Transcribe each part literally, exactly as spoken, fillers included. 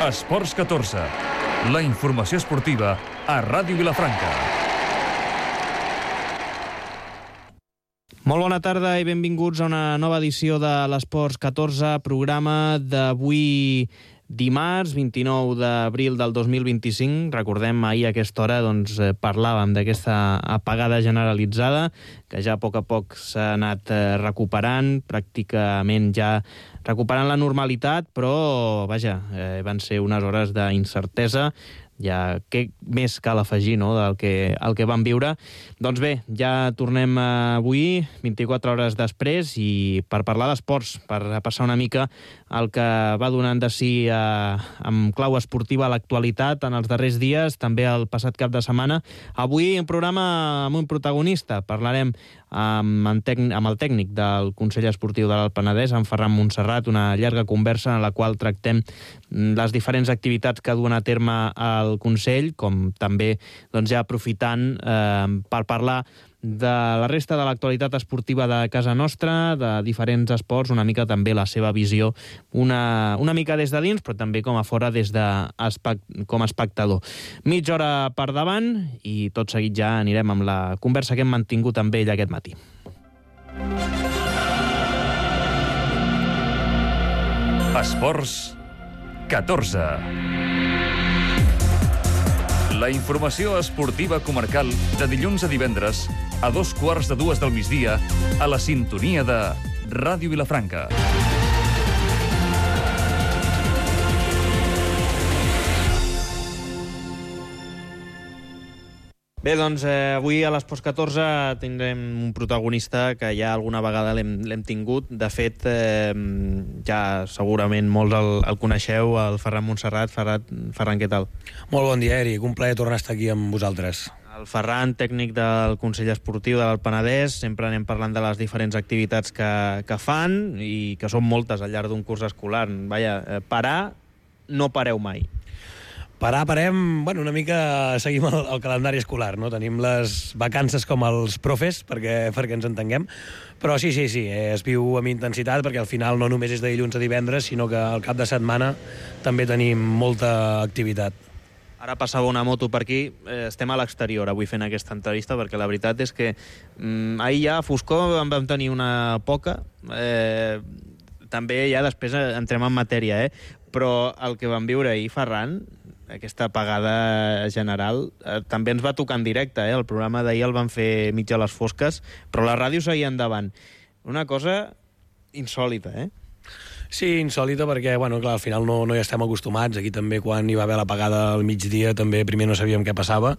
Esports catorze, la informació esportiva a Ràdio Vilafranca. Molt bona tarda i benvinguts a una nova edició de l'Esports catorze, programa d'avui dimarts, vint-i-nou d'abril del dos mil vint-i-cinc. Recordem, ahir a aquesta hora doncs, parlàvem d'aquesta apagada generalitzada, que ja a poc a poc s'ha anat recuperant, pràcticament ja recuperant la normalitat, però, vaja, eh, van ser unes hores d'incertesa. Ja què més cal afegir, no?, del que, el que vam viure. Doncs bé, ja tornem avui, vint-i-quatre hores després, i per parlar d'esports, per passar una mica el que va donant de si eh, amb clau esportiva a l'actualitat en els darrers dies, també el passat cap de setmana. Avui un programa amb un protagonista. Parlarem amb, amb el tècnic del Consell Esportiu de l'Alt Penedès, en Ferran Montserrat, una llarga conversa en la qual tractem les diferents activitats que duen a terme el Consell, com també doncs, ja aprofitant eh, per parlar de la resta de l'actualitat esportiva de casa nostra, de diferents esports, una mica també la seva visió, una, una mica des de dins, però també com a fora des de com a espectador. Mitja hora per davant i tot seguit ja anirem amb la conversa que hem mantingut amb ell aquest matí. Esports catorze. La informació esportiva comarcal de dilluns a divendres a dos quarts de dues del migdia a la sintonia de Ràdio Vilafranca. Bé, doncs eh, avui a l'Esports catorze tindrem un protagonista que ja alguna vegada l'hem tingut. De fet, eh, ja segurament molts el, el coneixeu, el Ferran Montserrat. Ferran, Ferran, què tal? Molt bon dia, Eric. Un plaer tornar a estar aquí amb vosaltres. El Ferran, tècnic del Consell Esportiu de l'Alt Penedès. Sempre anem parlant de les diferents activitats que, que fan i que són moltes al llarg d'un curs escolar. Vaja, eh, parar, no pareu mai. Parar, parem, bueno, una mica seguim el, el calendari escolar, no? Tenim les vacances com els profes, perquè, perquè ens entenguem, però sí, sí, sí, es viu amb intensitat, perquè al final no només és de dilluns a divendres, sinó que al cap de setmana també tenim molta activitat. Ara passava una moto per aquí, eh, estem a l'exterior avui fent aquesta entrevista, perquè la veritat és que mm, ahir ja a foscor en vam tenir una poca, eh, també ja després entrem en matèria, eh? Però el que vam viure ahir, Ferran, aquesta apagada general, eh, també ens va tocar en directe, eh? El programa d'ahir el van fer mig a les fosques, però la ràdio seguia endavant. Una cosa insòlita, eh? Sí, insòlita, perquè, bueno, clar, al final no, no hi estem acostumats. Aquí també, quan hi va haver l'apagada al migdia, també primer no sabíem què passava,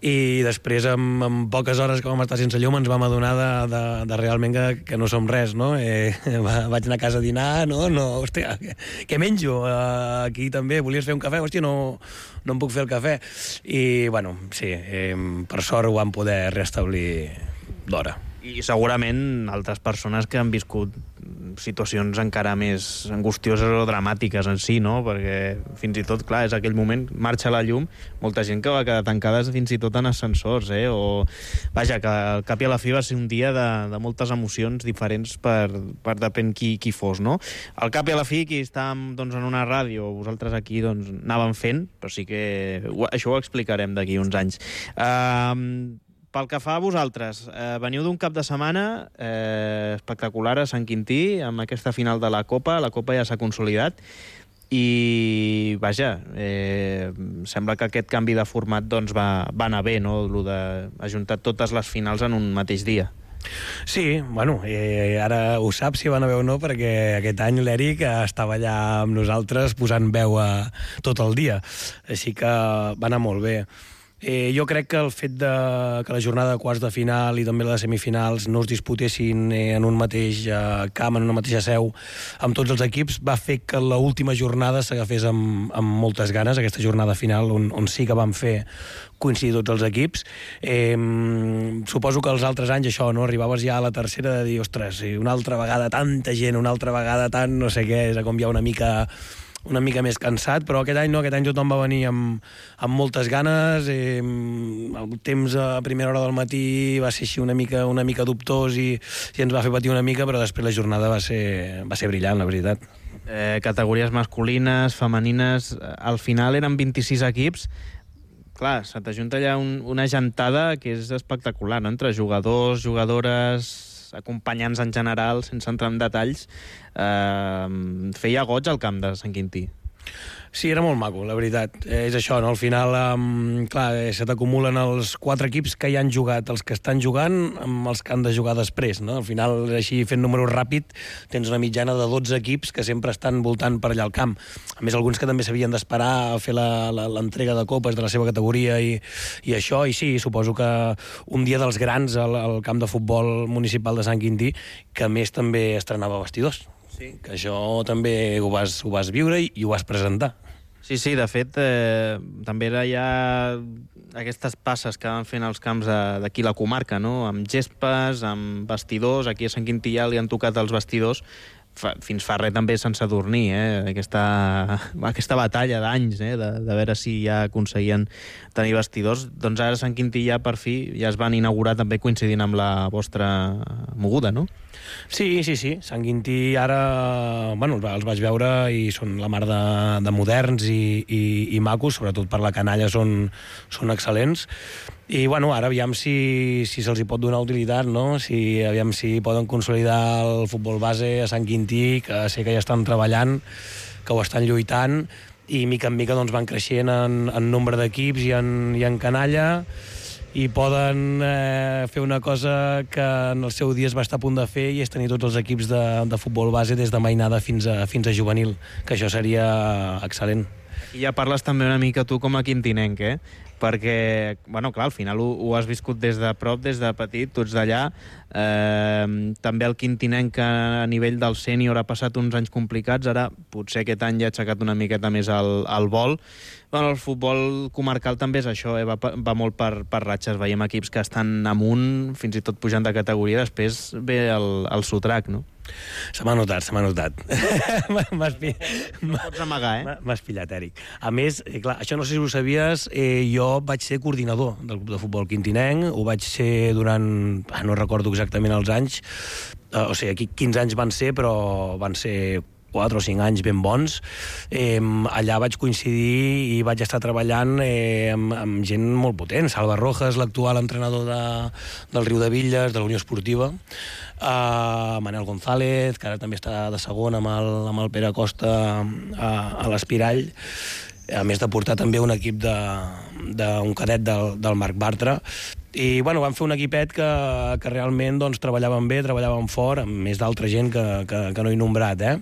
i després, amb, amb poques hores que vam estar sense llum, ens vam adonar de, de, de realment que, que no som res, no? Eh, vaig anar a casa a dinar, no? no hòstia, què, què menjo? Uh, aquí també, volies fer un cafè? Hòstia, no, no em puc fer el cafè. I, bueno, sí, eh, per sort ho vam poder restablir d'hora. I segurament altres persones que han viscut situacions encara més angustioses o dramàtiques en si, no? Perquè fins i tot, clar, és aquell moment, marxa la llum, molta gent que va quedar tancades fins i tot en ascensors, eh? O, vaja, que al cap i a la fi va ser un dia de, de moltes emocions diferents per, per depèn qui, qui fos, no? Al cap i a la fi, qui estàvem doncs, en una ràdio, vosaltres aquí doncs, anàvem fent, però sí que això ho explicarem d'aquí uns anys. Uh, Pel que fa a vosaltres, eh, veniu d'un cap de setmana eh, espectacular a Sant Quintí, amb aquesta final de la Copa. La Copa ja s'ha consolidat i, vaja, eh, sembla que aquest canvi de format doncs, va, va anar bé, no?, el d'ajuntar totes les finals en un mateix dia. Sí, bueno, eh, ara ho saps si van a veure o no, perquè aquest any l'Eric estava allà amb nosaltres posant veu a tot el dia, així que va anar molt bé. Eh, jo crec que el fet de, que la jornada de quarts de final i també la de semifinals no es disputessin eh, en un mateix eh, camp, en una mateixa seu, amb tots els equips, va fer que l'última jornada s'agafés amb, amb moltes ganes, aquesta jornada final on, on sí que vam fer coincidir tots els equips. Eh, suposo que els altres anys això, no? Arribaves ja a la tercera de dir, ostres, una altra vegada tanta gent, una altra vegada tant, no sé què, és com ja una mica... una mica més cansat, però aquest any no, aquest any tothom va venir amb, amb moltes ganes, eh, el temps a primera hora del matí va ser així una mica, una mica dubtós i, i ens va fer patir una mica, però després la jornada va ser, va ser brillant, la veritat. Eh, categories masculines, femenines... Al final eren vint-i-sis equips. Clar, se t'ajunta allà un, una gentada que és espectacular, no? Entre jugadors, jugadores, acompanyants en general, sense entrar en detalls. Eh, feia goig al camp de Sant Quintí. Sí, era molt maco, la veritat. Eh, és això, no? Al final, um, clar, eh, se t'acumulen els quatre equips que ja han jugat, els que estan jugant, amb els que han de jugar després, no? Al final, així, fent números ràpid, tens una mitjana de dotze equips que sempre estan voltant per allà al camp. A més, alguns que també s'havien d'esperar a fer l'entrega de copes de la seva categoria i, i això, i sí, suposo que un dia dels grans al, al camp de futbol municipal de Sant Quintí, que a més també estrenava vestidors. Sí. Que això també ho vas, ho vas viure i, i ho vas presentar. Sí, sí, de fet, eh, també era ja aquestes passes que van fent els camps d'aquí la comarca, no? Amb gespes, amb vestidors, aquí a Sant Quintí ja li han tocat els vestidors, fa, fins fa res també sense dormir, eh? Aquesta, aquesta batalla d'anys, eh? de, de veure si ja aconseguien tenir vestidors. Doncs ara Sant Quintí ja per fi ja es van inaugurar també coincidint amb la vostra moguda, no? Sí, sí, sí. Sant Quintí ara... Bueno, els vaig veure i són la mar de, de moderns i, i, i macos, sobretot per la canalla són, són excel·lents. I, bueno, ara aviam si, si se'ls hi pot donar utilitat, no? Si, aviam si poden consolidar el futbol base a Sant Quintí, que sé que ja estan treballant, que ho estan lluitant, i mica en mica doncs, van creixent en, en nombre d'equips i en, i en canalla, i poden eh, fer una cosa que en el seu dia es va estar a punt de fer, i és tenir tots els equips de, de futbol base des de mainada fins a, fins a juvenil, que això seria excel·lent. I ja parles també una mica tu com a quintinenc, eh? Perquè, bueno, clar, al final ho, ho has viscut des de prop, des de petit, tu ets d'allà. Eh, també el quintinenc que a nivell del sènior ha passat uns anys complicats, ara potser aquest any ja ha aixecat una miqueta més el, el vol. Bueno, el futbol comarcal també és això, eh? va, va molt per, per ratxes, veiem equips que estan amunt, fins i tot pujant de categoria, després ve el, el sotrac, no? Se m'ha notat, se m'ha notat. M'has pi... pots amagar, eh? M'has pillat, Eric. A més, eh, clar, això no sé si ho sabies, eh, jo vaig ser coordinador del club de futbol quintinenc, ho vaig ser durant... Ah, no recordo exactament els anys, eh, o sigui, aquí quinze anys van ser, però van ser quatre o cinc anys ben bons. Eh, allà vaig coincidir i vaig estar treballant eh, amb, amb gent molt potent. Salva Rojas, l'actual entrenador de, del Riu de Villes, de la Unió Esportiva, Uh, Manel González, que ara també està de segon amb el, amb el Pere Costa a, a l'Espirall, a més de portar també un equip de, de un cadet del, del Marc Bartra. I bueno, vam fer un equipet que, que realment doncs, treballaven bé, treballaven fort, amb més d'altra gent que, que, que no he nombrat, eh?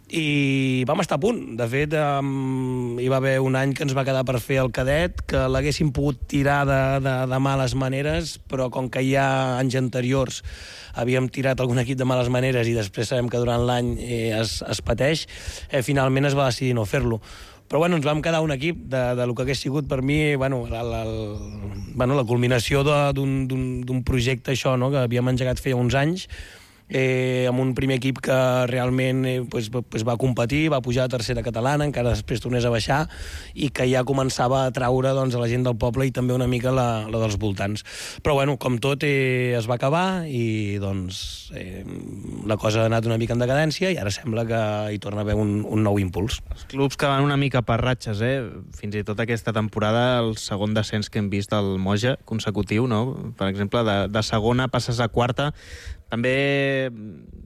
I vam estar a punt. De fet, um, hi va haver un any que ens va quedar per fer el cadet, que l'haguéssim pogut tirar de, de, de males maneres, però com que ja anys anteriors havíem tirat algun equip de males maneres i després sabem que durant l'any eh, es, es pateix, eh, finalment es va decidir no fer-lo. Però bueno, ens vam quedar un equip de, de lo que hagués sigut per mi bueno, la, la, la, bueno, la culminació d'un projecte, això, no?, que havíem engegat feia uns anys, eh, amb un primer equip que realment eh, pues, pues va competir, va pujar a tercera catalana, encara després tornés a baixar, i que ja començava a atraure doncs, a la gent del poble i també una mica la, la dels voltants. Però bueno, com tot eh, es va acabar i doncs eh, la cosa ha anat una mica en decadència i ara sembla que hi torna a haver un, un nou impuls. Els clubs que van una mica per ratxes, eh? Fins i tot aquesta temporada, el segon descens que hem vist al Moja consecutiu, no? Per exemple, de, de segona passes a quarta. També,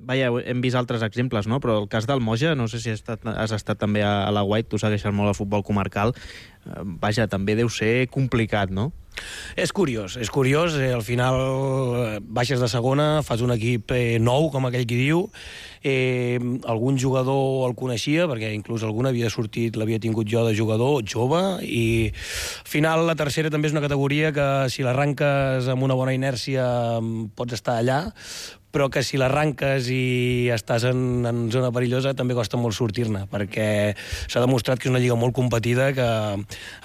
vaja, hem vist altres exemples, no? Però el cas del Moja, no sé si has estat, has estat també a, a la White, tu segueixes molt el futbol comarcal, eh, vaja, també deu ser complicat, no? És curiós, és curiós. Eh, al final eh, baixes de segona, fas un equip eh, nou, com aquell qui diu. Eh, algun jugador el coneixia, perquè inclús algun havia sortit, l'havia tingut jo de jugador jove, i al final la tercera també és una categoria que si l'arranques amb una bona inèrcia pots estar allà, però que si l'arranques i estàs en, en zona perillosa també costa molt sortir-ne, perquè s'ha demostrat que és una lliga molt competida, que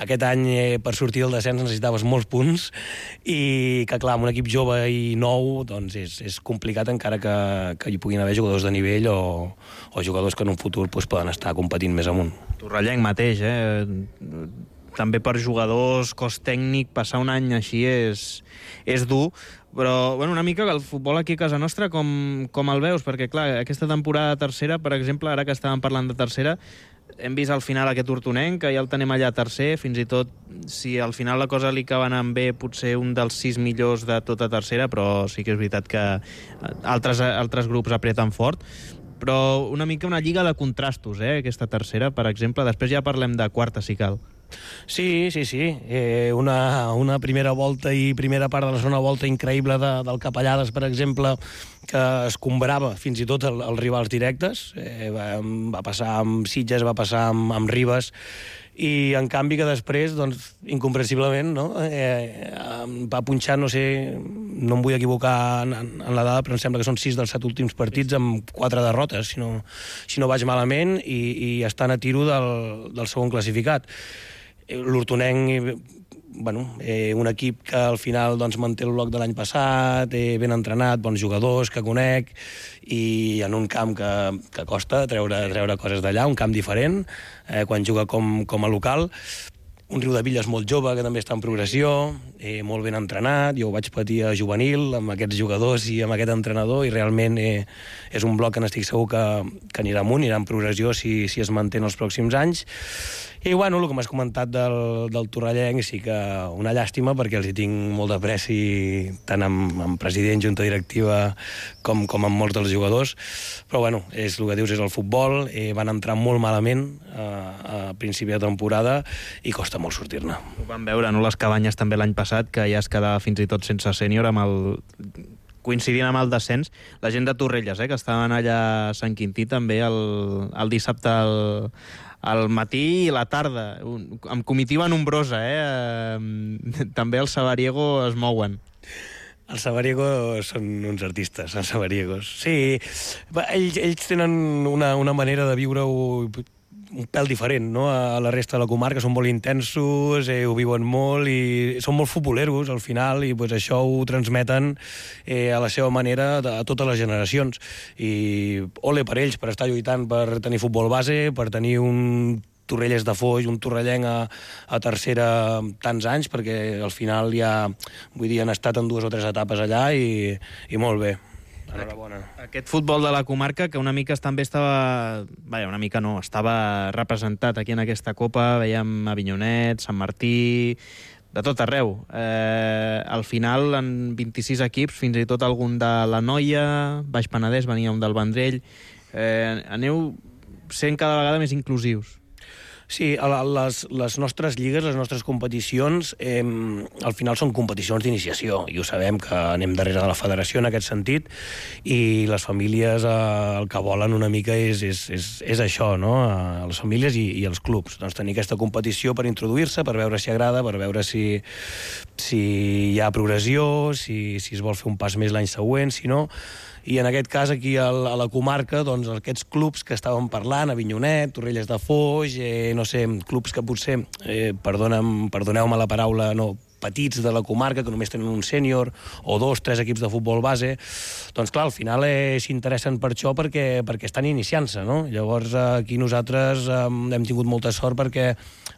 aquest any eh, per sortir del descens necessitaves molts punts i que clar, amb un equip jove i nou doncs és, és complicat, encara que, que hi puguin haver jugadors de nivell o, o jugadors que en un futur doncs, poden estar competint més amunt. Torrellenc mateix, eh? També per jugadors, cos tècnic, passar un any així és, és dur. Però, bueno, una mica el futbol aquí a casa nostra, com, com el veus? Perquè, clar, aquesta temporada de tercera, per exemple, ara que estàvem parlant de tercera, hem vist al final aquest hortonenc, que ja el tenim allà tercer, fins i tot, si al final la cosa li acaba anant bé, potser un dels sis millors de tota tercera, però sí que és veritat que altres, altres grups apreten fort. Però una mica una lliga de contrastos, eh, aquesta tercera, per exemple. Després ja parlem de quarta, si cal. Sí, sí, sí. Eh, una, una primera volta i primera part de la segona volta increïble de, del Capellades, per exemple, que escombrava fins i tot el, els rivals directes. Eh, va, va passar amb Sitges, va passar amb, amb Ribes, i en canvi que després, doncs, incomprensiblement, no? eh, va punxar, no sé, no em vull equivocar en, en la dada, però em sembla que són sis dels set últims partits amb quatre derrotes, si no, si no vaig malament, i, i estan a tiro del, del segon classificat. L'Hortonenc, bueno, eh, un equip que al final doncs, manté el bloc de l'any passat, eh, ben entrenat, bons jugadors que conec, i en un camp que, que costa treure, treure coses d'allà, un camp diferent, eh, quan juga com, com a local. Un Riudevilles molt jove, que també està en progressió, eh, molt ben entrenat. Jo ho vaig patir a juvenil, amb aquests jugadors i amb aquest entrenador, i realment eh, és un bloc que n'estic segur que, que anirà amunt, anirà en progressió si, si es manté en els pròxims anys. I, bueno, el que m'has comentat del, del Torrellenc, sí que una llàstima, perquè els hi tinc molt de preci, tant amb, amb president, junta directiva, com, com amb molts dels jugadors. Però, bueno, és el que dius, és el futbol. Eh, van entrar molt malament a, a principi de temporada i costa molt sortir-ne. Ho vam veure, no?, les Cabanyes també l'any passat, que ja es quedava fins i tot sense sènior amb el... coincidint amb el descens, la gent de Torrelles, eh, que estaven allà a Sant Quintí també el, el dissabte al, al matí i la tarda, un, amb comitiva nombrosa, eh? També els Sabariego es mouen. Els Sabariegos són uns artistes, els Sabariegos. Sí, ells, ells tenen una, una manera de viure-ho un pèl diferent, no?, a la resta de la comarca. Són molt intensos, eh, ho viuen molt i són molt futboleros al final, i pues, això ho transmeten eh, a la seva manera a totes les generacions. I ole per ells, per estar lluitant per tenir futbol base, per tenir un Torrelles de Foix, un torrellenc a, a tercera tants anys, perquè al final ja, vull dir, han estat en dues o tres etapes allà i, i molt bé. Enhorabona. Aquest futbol de la comarca, que una mica també estava... Vaja, una mica no, estava representat aquí en aquesta Copa, veiem Avinyonet, Sant Martí, de tot arreu. Eh, al final, en vint-i-sis equips, fins i tot algun de la Noia, Baix Penedès, venia un del Vendrell. Eh, aneu sent cada vegada més inclusius. Sí, les, les nostres lligues, les nostres competicions, eh, al final són competicions d'iniciació, i ho sabem que anem darrere de la federació en aquest sentit, i les famílies eh, el que volen una mica és, és, és, és això, no?, a les famílies i, i els clubs. Doncs tenir aquesta competició per introduir-se, per veure si agrada, per veure si, si hi ha progressió, si, si es vol fer un pas més l'any següent, si no... I en aquest cas, aquí a la comarca, doncs, aquests clubs que estàvem parlant, Avinyonet, Torrelles de Foix, eh, no sé, clubs que potser, eh, perdoneu-me perdoneu-me la paraula, no, petits de la comarca, que només tenen un sènior, o dos, tres equips de futbol base, doncs clar, al final eh, s'interessen per això perquè, perquè estan iniciant-se, no? Llavors aquí nosaltres eh, hem tingut molta sort perquè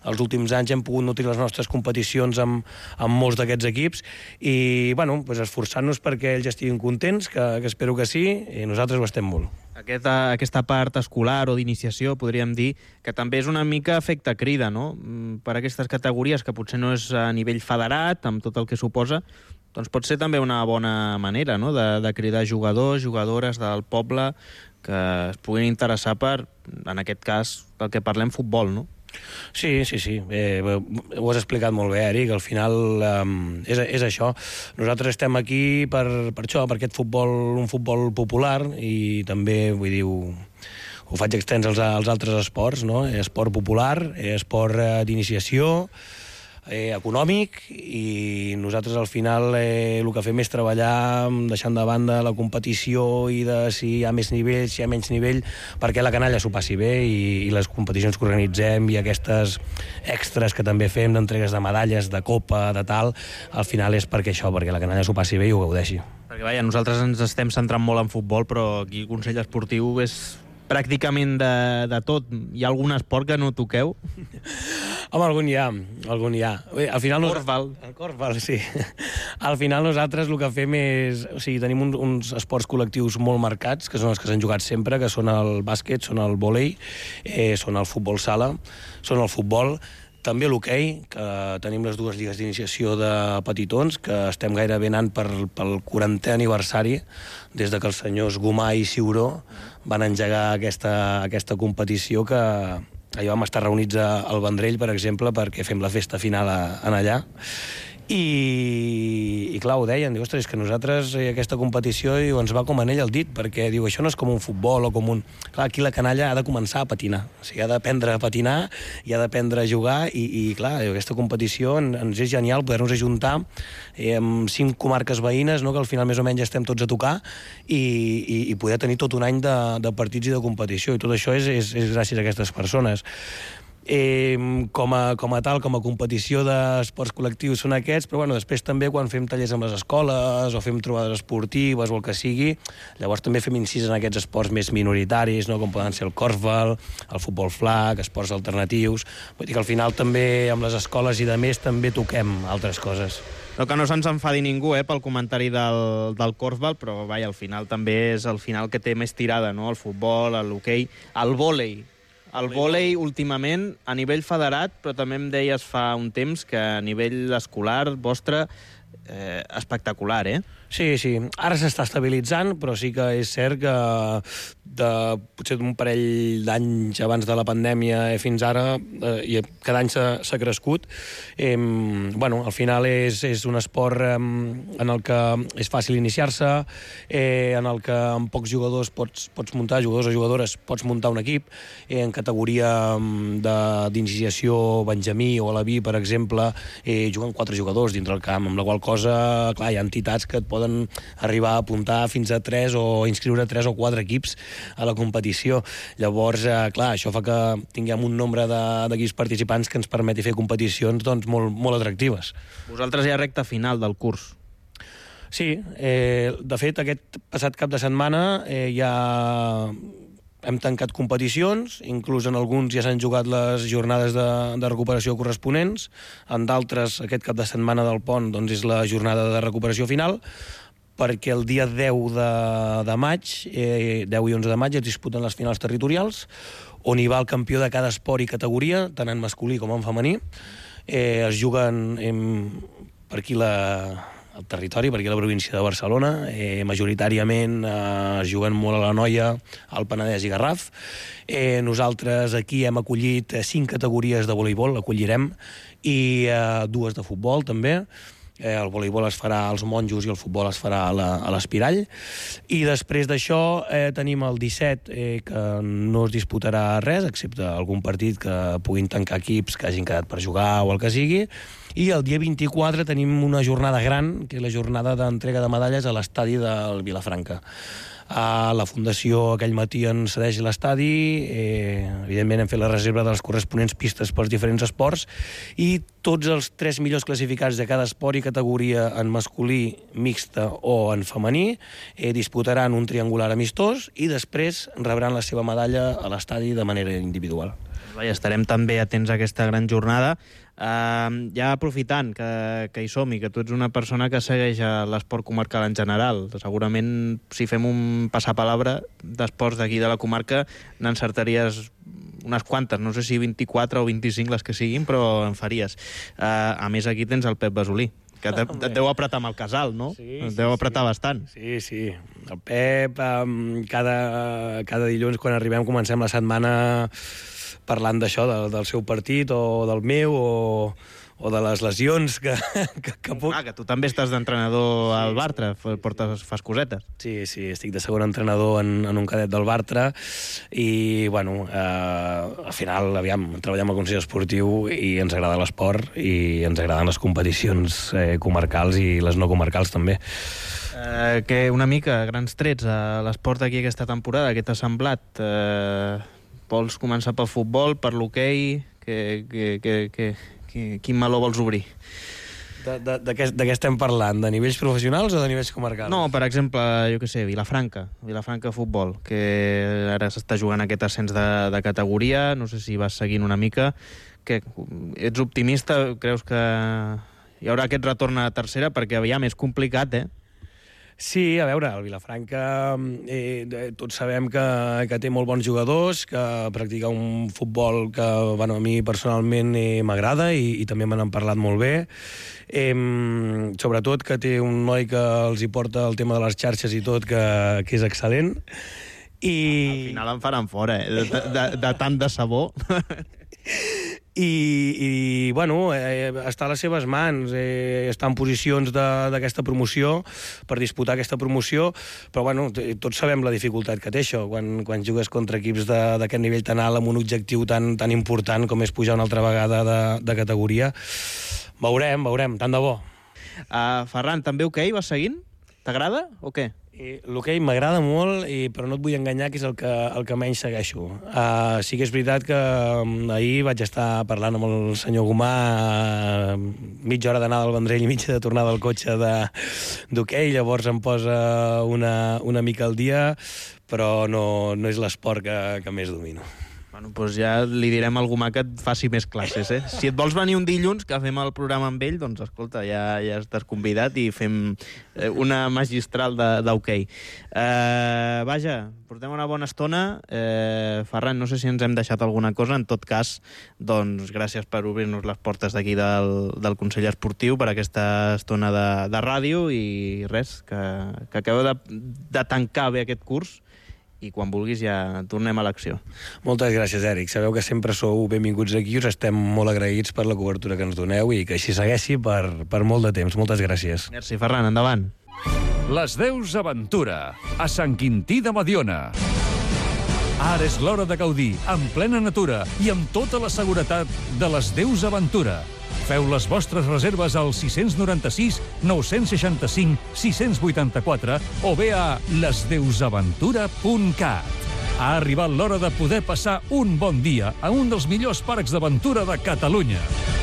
els últims anys hem pogut nutrir les nostres competicions amb, amb molts d'aquests equips i, bueno, pues esforçant-nos perquè ells estiguin contents, que, que espero que sí, i nosaltres ho estem molt. Aquesta, aquesta part escolar o d'iniciació, podríem dir, que també és una mica efecte crida, no?, per aquestes categories, que potser no és a nivell federat, amb tot el que suposa, doncs pot ser també una bona manera, no?, de, de cridar jugadors, jugadores del poble que es puguin interessar per, en aquest cas, pel que parlem, futbol, no? Sí, sí, sí. Eh, ho has explicat molt bé, Eric. Al final um, és, és això. Nosaltres estem aquí per, per això, per aquest futbol, un futbol popular, i també, vull dir, ho, ho faig extens als, als altres esports, no? Esport popular, esport eh, d'iniciació, eh, econòmic, i nosaltres al final eh, el que fem és treballar deixant de banda la competició i de si hi ha més nivell, si hi ha menys nivell, perquè la canalla s'ho passi bé, i, i les competicions que organitzem i aquestes extras que també fem d'entregues de medalles, de copa, de tal, al final és perquè això, perquè la canalla s'ho passi bé i ho gaudeixi. Perquè, vaja, nosaltres ens estem centrant molt en futbol, però aquí el Consell Esportiu és pràcticament de, de tot. Hi ha algun esport que no toqueu? Home, algun hi ha, algun hi ha. Al final... Corfball. El corfball, sí. Al final nosaltres el que fem és... O sigui, tenim uns, uns esports col·lectius molt marcats, que són els que s'han jugat sempre, que són el bàsquet, són el vòlei, eh, són el futbol sala, són el futbol, també l'hoquei, que tenim les dues lligues d'iniciació de petitons, que estem gairebé anant per, pel quarantè aniversari, des de que els senyors Gomà i Ciuró van engegar aquesta, aquesta competició que allà vam estar reunits al Vendrell, per exemple, perquè fem la festa final a, en allà. I, i clar, ho deien, diu, ostres, és que nosaltres eh, aquesta competició diu, ens va com anell al dit, perquè diu, això no és com un futbol o com un... Clar, aquí la canalla ha de començar a patinar, o sigui, ha d'aprendre a patinar i ha d'aprendre a jugar i, i clar, diu, aquesta competició en, ens és genial poder-nos ajuntar eh, amb cinc comarques veïnes, no?, que al final més o menys estem tots a tocar i, i, i poder tenir tot un any de, de partits i de competició, i tot això és, és, és gràcies a aquestes persones. Eh, com, a, com a tal, com a competició d'esports col·lectius són aquests, però bueno, després també quan fem tallers amb les escoles o fem trobades esportives o el que sigui, llavors també fem incís en aquests esports més minoritaris, no?, com poden ser el korfball, el futbol flag, esports alternatius. Vull dir que al final també amb les escoles i de més també toquem altres coses. No, que no se'ns enfadi ningú eh, pel comentari del, del korfball, però vaja, al final també és el final que té més tirada, no?, el futbol, l'hoquei, el vòlei. El vòlei, últimament, a nivell federat, però també em deies fa un temps que a nivell escolar vostre, eh, espectacular, eh? Sí, sí. Ara s'està estabilitzant, però sí que és cert que de, potser d'un parell d'anys abans de la pandèmia fins ara, eh, i cada any s'ha crescut. Eh, bueno, al final és, és un esport eh, en el que és fàcil iniciar-se, eh, en el que amb pocs jugadors pots, pots muntar, jugadors o jugadores, pots muntar un equip, eh, en categoria d'iniciació benjamí o alaví, per exemple, eh, juguen quatre jugadors dintre el camp, amb la qual cosa, clar, hi ha entitats que et poden arribar a apuntar fins a tres o inscriure tres o quatre equips a la competició. Llavors, eh, clar, això fa que tinguem un nombre d'equips participants que ens permeti fer competicions doncs, molt, molt atractives. Vosaltres ja recta final del curs. Sí, eh, de fet, aquest passat cap de setmana eh, ja hem tancat competicions, inclús en alguns ja s'han jugat les jornades de, de recuperació corresponents, en d'altres, aquest cap de setmana del pont, doncs és la jornada de recuperació final, perquè el dia deu de, de maig, eh, deu i onze de maig, es disputen les finals territorials, on hi va el campió de cada esport i categoria, tant en masculí com en femení. Eh, es juguen eh, per aquí la... el territori, perquè a la província de Barcelona, eh, majoritàriament eh, es juguen molt a la Noia, al Penedès i Garraf. Eh, nosaltres aquí hem acollit cinc categories de voleibol, acollirem, i eh, dues de futbol també. Eh, el voleibol es farà als Monjos i el futbol es farà a l'Espirall. I després d'això eh, tenim el disset, eh, que no es disputarà res, excepte algun partit que puguin tancar equips que hagin quedat per jugar o el que sigui. I el dia vint-i-quatre tenim una jornada gran, que és la jornada d'entrega de medalles a l'estadi del Vilafranca. A la Fundació aquell matí ens cedeix l'estadi, eh, evidentment hem fet la reserva de les corresponents pistes pels diferents esports, i tots els tres millors classificats de cada esport i categoria en masculí, mixta o en femení eh, disputaran un triangular amistós i després rebran la seva medalla a l'estadi de manera individual. Vaja, estarem també atents a aquesta gran jornada. Uh, ja aprofitant que, que hi som i que tu ets una persona que segueix l'esport comarcal en general, segurament si fem un passapalabra d'esports d'aquí de la comarca n'encertaries unes quantes, no sé si vint-i-quatre o vint-i-cinc les que siguin, però en faries. Uh, a més, aquí tens el Pep Basolí, que te, et deu apretar amb el casal, no? Sí, et deu sí, apretar sí. bastant. Sí, sí. El Pep, um, cada, cada dilluns quan arribem comencem la setmana parlant d'això, del, del seu partit o del meu o, o de les lesions que, que, que puc... Ah, que tu també estàs d'entrenador al Bartra, portes, fas cosetes. Sí, sí, estic de segon entrenador en, en un cadet del Bartra i, bueno, eh, al final, aviam, treballem al Consell Esportiu i ens agrada l'esport i ens agraden les competicions eh, comarcals i les no comarcals també. Eh, que una mica, grans trets, a l'esport d'aquí aquesta temporada, què t'ha semblat? Eh, vols començar pel futbol, per l'hoquei? Que, que, que, que, que, quin meló vols obrir? De, de, de, què, de què estem parlant? De nivells professionals o de nivells comarcals? No, per exemple, jo què sé, Vilafranca, Vilafranca Futbol, que ara s'està jugant aquest ascens de, de categoria, no sé si vas seguint una mica. Que, ets optimista? Creus que hi haurà aquest retorn a tercera, perquè aviam, és complicat, eh? Sí, a veure, el Vilafranca eh, tots sabem que, que té molt bons jugadors, que practica un futbol que bueno, a mi personalment eh, m'agrada i, i també me n'han parlat molt bé. Eh, sobretot que té un noi que els hi porta el tema de les xarxes i tot, que, que és excel·lent. I... Al final em faran fora, eh? De, de, de tant de sabó. I, i bueno, eh, està a les seves mans, eh, està en posicions d'aquesta promoció, per disputar aquesta promoció, però bueno, tots sabem la dificultat que té això, quan, quan jugues contra equips d'aquest nivell tan alt, amb un objectiu tan, tan important com és pujar una altra vegada de, de categoria. Veurem, veurem, tant de bo. Uh, Ferran, també hoquei, vas seguint? T'agrada o què? Eh, L'hoquei m'agrada molt, i, però no et vull enganyar que és el que, el que menys segueixo. Uh, sí que és veritat que um, ahir vaig estar parlant amb el senyor Gomà uh, mitja hora d'anada al Vendrell i mitja de tornada al cotxe d'hoquei, llavors em posa una, una mica al dia, però no, no és l'esport que, que més domino. Bueno, doncs ja li direm a algú que et faci més classes, eh? Si et vols venir un dilluns, que fem el programa amb ell, doncs escolta, ja, ja estàs convidat i fem una magistral d'hoquei. Uh, vaja, portem una bona estona. Uh, Ferran, no sé si ens hem deixat alguna cosa. En tot cas, doncs gràcies per obrir-nos les portes d'aquí del, del Consell Esportiu per aquesta estona de, de ràdio i res, que, que acabeu de, de tancar bé aquest curs i quan vulguis ja tornem a l'acció. Moltes gràcies, Èric. Sabeu que sempre sou benvinguts aquí, us estem molt agraïts per la cobertura que ens doneu i que així segueixi per, per molt de temps. Moltes gràcies. Merci, Ferran. Endavant. Les Deus Aventura, a Sant Quintí de Mediona. Ara és l'hora de gaudir, en plena natura i amb tota la seguretat de les Deus Aventura. Feu les vostres reserves al sis nou sis, nou sis cinc, sis vuit quatre o bé a les deus aventura punt cat. Ha arribat l'hora de poder passar un bon dia a un dels millors parcs d'aventura de Catalunya.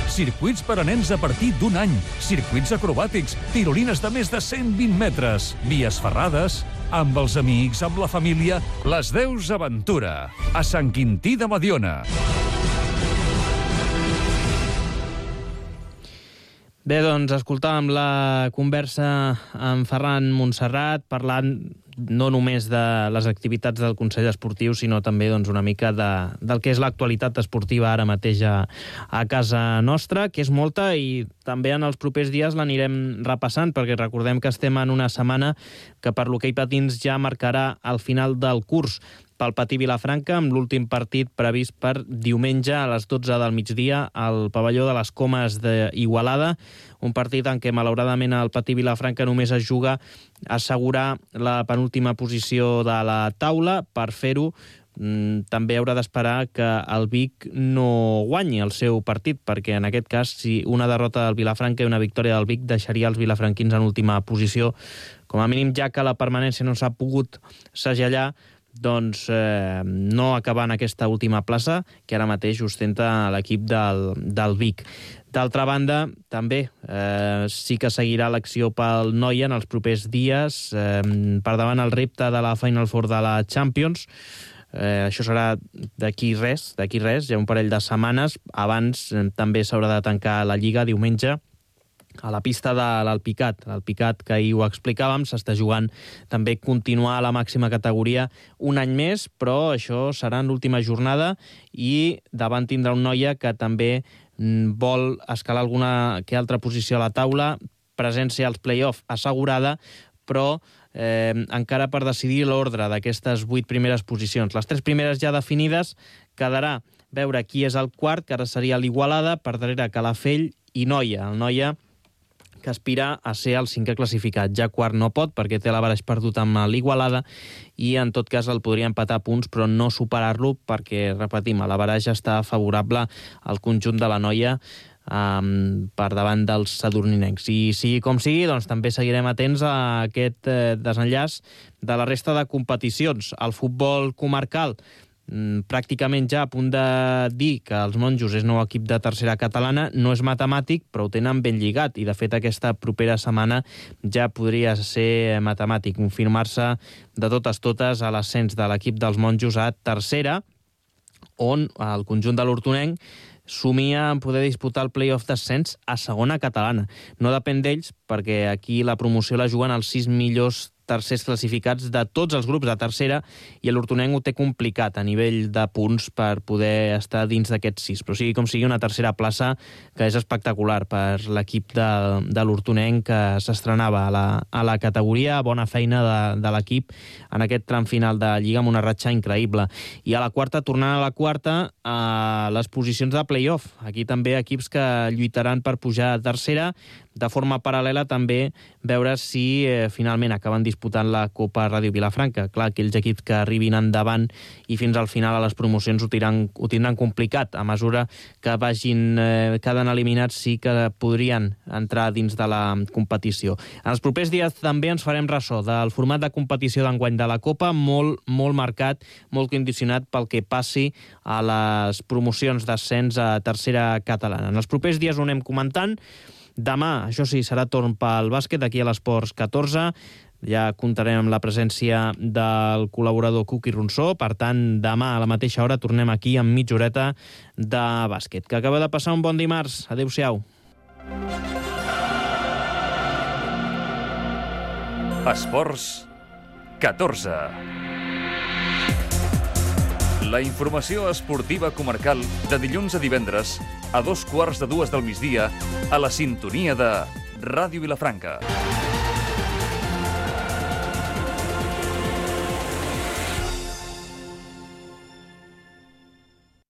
Circuits per a nens a partir d'un any, circuits acrobàtics, tirolines de més de cent vint metres, vies ferrades, amb els amics, amb la família, les Deus Aventura, a Sant Quintí de Mediona. Bé, doncs, escoltàvem la conversa amb Ferran Montserrat, parlant no només de les activitats del Consell Esportiu, sinó també doncs, una mica de, del que és l'actualitat esportiva ara mateix a, a casa nostra, que és molta, i també en els propers dies l'anirem repassant, perquè recordem que estem en una setmana que per l'hoquei patins ja marcarà el final del curs pel Patí Vilafranca, amb l'últim partit previst per diumenge a les dotze del migdia al pavelló de les Comes d'Igualada, un partit en què malauradament el Patí Vilafranca només es juga a assegurar la penúltima posició de la taula. Per fer-ho, també haurà d'esperar que el Vic no guanyi el seu partit, perquè en aquest cas, si una derrota del Vilafranca i una victòria del Vic deixaria els vilafranquins en última posició, com a mínim ja que la permanència no s'ha pogut segellar, doncs eh, no acabar en aquesta última plaça que ara mateix ostenta l'equip del, del Vic. D'altra banda, també eh, sí que seguirà l'acció pel Noia en els propers dies, eh, per davant el repte de la Final Four de la Champions. Eh, això serà d'aquí res, d'aquí res, ja un parell de setmanes. Abans eh, també s'haurà de tancar la Lliga diumenge a la pista de l'Alpicat. L'Alpicat, que ahir ho explicàvem, s'està jugant també continuar a la màxima categoria un any més, però això serà en l'última jornada i davant tindrà un Noia que també vol escalar alguna que altra posició a la taula, presència als play-off assegurada, però eh, encara per decidir l'ordre d'aquestes vuit primeres posicions. Les tres primeres ja definides, quedarà veure qui és el quart, que ara seria l'Igualada, per darrere Calafell i Noia. El Noia que aspira a ser el cinquè classificat. Ja quart no pot, perquè té l'averaix perdut amb l'Igualada, i en tot cas el podria empatar punts, però no superar-lo, perquè, repetim, l'averaix està favorable al conjunt de la Noia um, per davant dels sadurninencs. I sigui com sigui, doncs també seguirem atents a aquest eh, desenllaç de la resta de competicions. El futbol comarcal, pràcticament ja a punt de dir que els Monjos és nou equip de tercera catalana, no és matemàtic, però ho tenen ben lligat, i de fet aquesta propera setmana ja podria ser matemàtic, confirmar-se de totes totes a l'ascens de l'equip dels Monjos a tercera, on el conjunt de l'Hortonenc somia en poder disputar el play-off d'ascens a segona catalana. No depèn d'ells, perquè aquí la promoció la juguen els sis millors tercers classificats de tots els grups de tercera, i l'Hortonenc ho té complicat a nivell de punts per poder estar dins d'aquests sis. Però sigui com sigui, una tercera plaça que és espectacular per l'equip de, de l'Hortonenc, que s'estrenava a, la, a la categoria. Bona feina de, de l'equip en aquest tram final de Lliga amb una ratxa increïble. I a la quarta, tornant a la quarta, a les posicions de play-off. Aquí també equips que lluitaran per pujar a tercera, de forma paral·lela també veure si eh, finalment acaben disputant la Copa Ràdio Vilafranca. Clar, aquells equips que arribin endavant i fins al final a les promocions ho tindran, ho tindran complicat. A mesura que vagin eh, quedant eliminats sí que podrien entrar dins de la competició. En els propers dies també ens farem ressò del format de competició d'enguany de la Copa, molt, molt marcat, molt condicionat pel que passi a les promocions d'ascens a tercera catalana. En els propers dies ho anem comentant. Demà, això sí, serà torn pel bàsquet, aquí a l'Esports catorze. Ja comptarem amb la presència del col·laborador Cuqui Ronsó. Per tant, demà a la mateixa hora tornem aquí amb mitja horeta de bàsquet. Que acaba de passar un bon dimarts. Adéu-siau. Esports catorze. La informació esportiva comarcal de dilluns a divendres a dos quarts de dues del migdia a la sintonia de Ràdio Vilafranca.